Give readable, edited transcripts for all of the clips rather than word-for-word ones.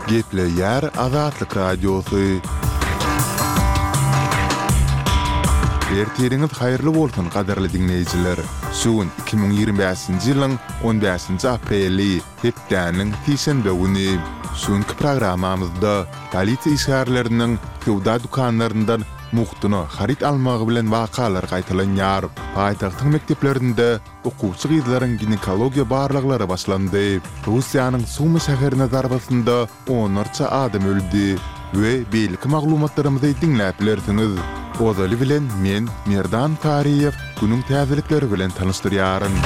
Gepleýär Azatlyk Radiosy. Ertiriňiz haýyrly bolsun gadyrly diňleýjiler! Şu gün 2025-nji ýylyň on bäşinji apreli, hepdäniň sişenbe güni. Şu günki programmamyzda polisiýa işgärleriniň söwda dükanlaryndan mugtuna haryt almagy bilen wakalar gaýtalanýar. Paýtagtyň mekdeplerinde Okuwçy gyzlaryň ginekologiýa barlaglary başlandy. Russiýanyň Sumy şäherine zarbasynda onlarça adam öldi we beýleki maglumatlarymyzy diňläp bilersiňiz. Ozaly bilen men, Merdan Saryýew, günüň täzelikleri bilen tanyşdyrýaryn.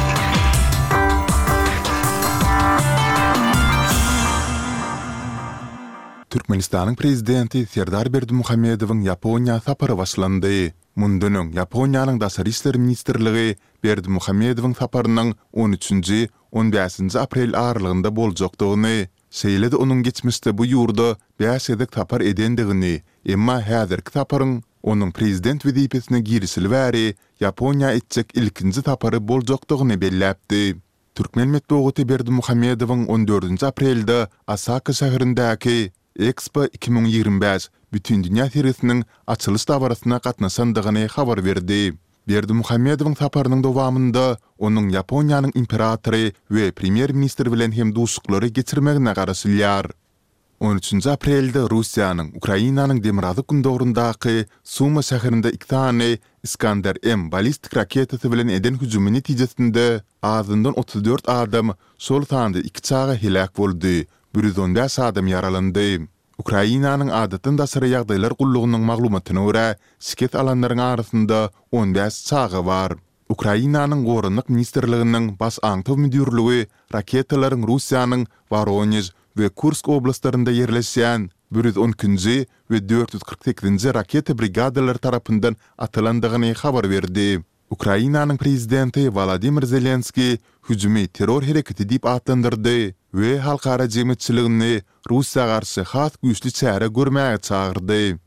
Türkmenistanyň Prezidenti Serdar Berdimuhamedowyň Ýaponiýa sapary başlandy. Mundan öň Ýaponiýanyň Daşary işler ministrligi Berdimuhamedowyň saparynyň on üçünji, on bäşinji aprel aralygynda boljakdygyny, şeýle-de onuň geçmişde bu ýurda bäş gezek sapar edendigini, emma häzirki saparyň onuň prezident wezipesine girişeli bäri Ýaponiýa etjek ilkinji sapary boljakdygyny belläpdi. Türkmen metbugaty Berdimuhamedowyň on dördünji aprelde Osaka şäherindäki Ekspo 2025 Bütindünýä sergisiniň açylyş dabarasyna gatnaşandygyny habar berdi. Berdimuhamedowyň saparynyň dowamynda onuň Ýaponiýanyň imperatory we premýer-ministri bilen hem duşuşyklary geçirmegine garaşylýar. On üçünji aprelde Russiýanyň Ukrainanyň demirgazyk-gündogaryndaky Suma şäherinde iki sany Iskander-M ballistik raketasy bilen eden hüjümi netijesinde azyndan 34 adam, şol sanda iki çaga heläk boldy, 115 adam ýaralandy. Ukrainanyň Adatdan daşary ýagdaýlar gullugynyň maglumatyna görä, şikes alanlaryň arasynda 15 çaga bar. Ukrainanyň Goranmak ministrliginiň Baş aňtaw müdirligi raketalaryň Russiýanyň Woronež we Kursk oblastlarynda ýerleşýän 112-nji we 448-nji raketa brigadalary tarapyndan atylandygyny habar berdi. Ukrainanyň prezidenti Wolodymyr Zelenskiý hüjümi terror hereketi diýip atlandyrdy we halkara jemgyýetçiligini Russiýa garşy has güýçli çäre görmäge çagyrdy.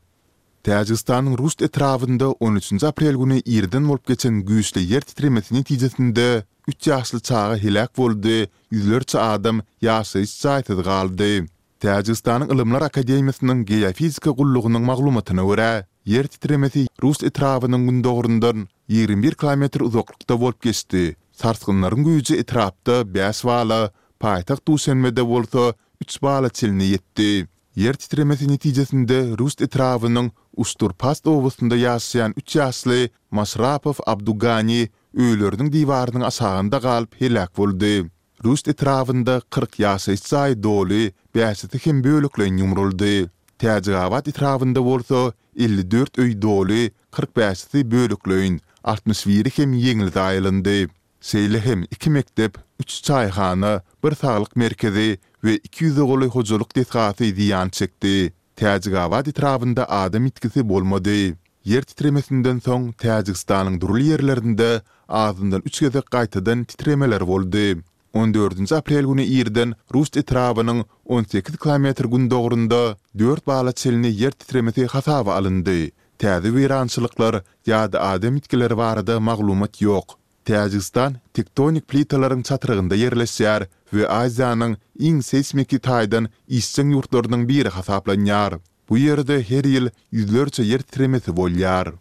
Täjigistanyň Ruşt etrabynda on üçünji aprel güni irden bolup geçen güýçli ýer titremesi netijesinde üç ýaşly çaga heläk boldy, ýüzlerçe adam ýaşaýyş jaýsyz galdy. Täjigistanyň Ylymlar akademiýasynyň Geofizika gullugynyň maglumatyna görä, ýer titremesi Rust etrabynyň gündogaryndan 21 kilometr uzaklykda bolup geçdi. Sarsgynlaryň güýji etrapda bäş bala, paýtagt Duşenbede bolsa üç bala çenli ýetdi. Ýer titremesi netijesinde Rust etrabynyň Uşturpast obasynda ýaşaýan üç ýaşly Maşrapow Abdugani öýleriniň diwarynyň aşagynda galyp heläk boldy. Ruşt etrabynda 40 ýaşaýyş jaýy doly, bäşisi hem bölekleýin ýumruldy. Täjigabat etrabynda bolsa 54 öý doly, 45-si bölekleýin, 61-i hem ýeňil zaýalandy. Şeýle hem iki mekdep, üç çaýhana, bir saglyk merkezi we iki ýüze golaý hojalyk desgasy zyýan çekdi. Täjigabat etrabynda adam ýitgisi bolmady. Ýer titremesinden soň Täjigistanyň dürli ýerlerinde azyndan üç gezek gaýtadan titremeler boldy. On dördünji aprel güni irden Rust etrabynyň 18 kilometr gündogarynda dört bala çenli ýer titremesi hasaba alyndy. Täze weýrançylyklar ýa-da adam ýitgileri barada maglumat ýok. Täjigistan tektonik plitalaryň çatrygynda ýerleşýär we Aziýanyň iň seýsmiki taýdan işjeň ýurtlarynyň biri hasaplanýar. Bu ýerde her ýyl ýüzlerçe ýer titremesi bolýar.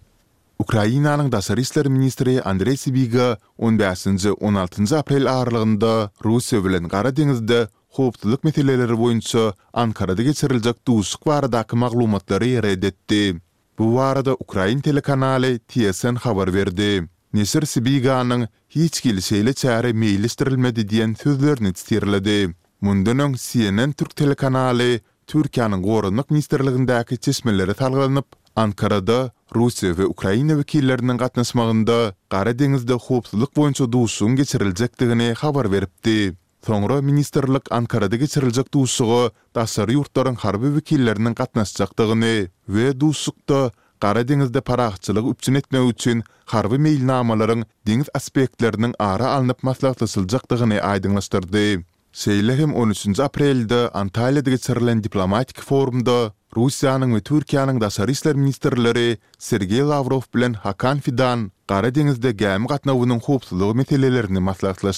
Ukrainanyň daşary işler ministri Andreý Sibiga on bäşinji, on altynjy aprel aralygynda Russiýa bilen Gara deňizde howpsuzlyk meseleleri boýunça Ankarada geçiriljek duşuşyk baradaky maglumatlary ret etdi. Bu barada ukrain telekanaly TSN habar berdi. Neşir Sibiganyň Hiç hili şeýle çäre meýilleşdirilmedi diýen sözlerini sitirledi. Mundan öň CNN türk telekanaly Türkiýäniň Goranmak ministrligindäki çeşmelere salgylanyp, Ankarada Russiýa we Ukraina wekilleriniň gatnaşmagynda Gara deňizde howpsuzlyk boýunça duşuşygyň geçiriljekdigini habar beripdi. Soňra ministrlik Ankarada geçiriljek duşuşyga daşary ýurtlaryň harby wekilleriniň gatnaşjakdygyny we duşuşykda Gara deňizde parahatçylygy üpjün etmek üçin harby meýilnamalaryň deňiz aspektleriniň ara alnyp maslahatlaşyljakdygyny aýdyňlaşdyrdy. Şeýle hem on üçünji aprelde Antalýada geçirilen diplomatik forumda Russiýanyň we Türkiýäniň daşary işler ministrleri Sergeý Lawrow bilen Hakan Fidan Gara deňizde gämi gatnawynyň howpsuzlygy meselelerini maslahatlaşdy.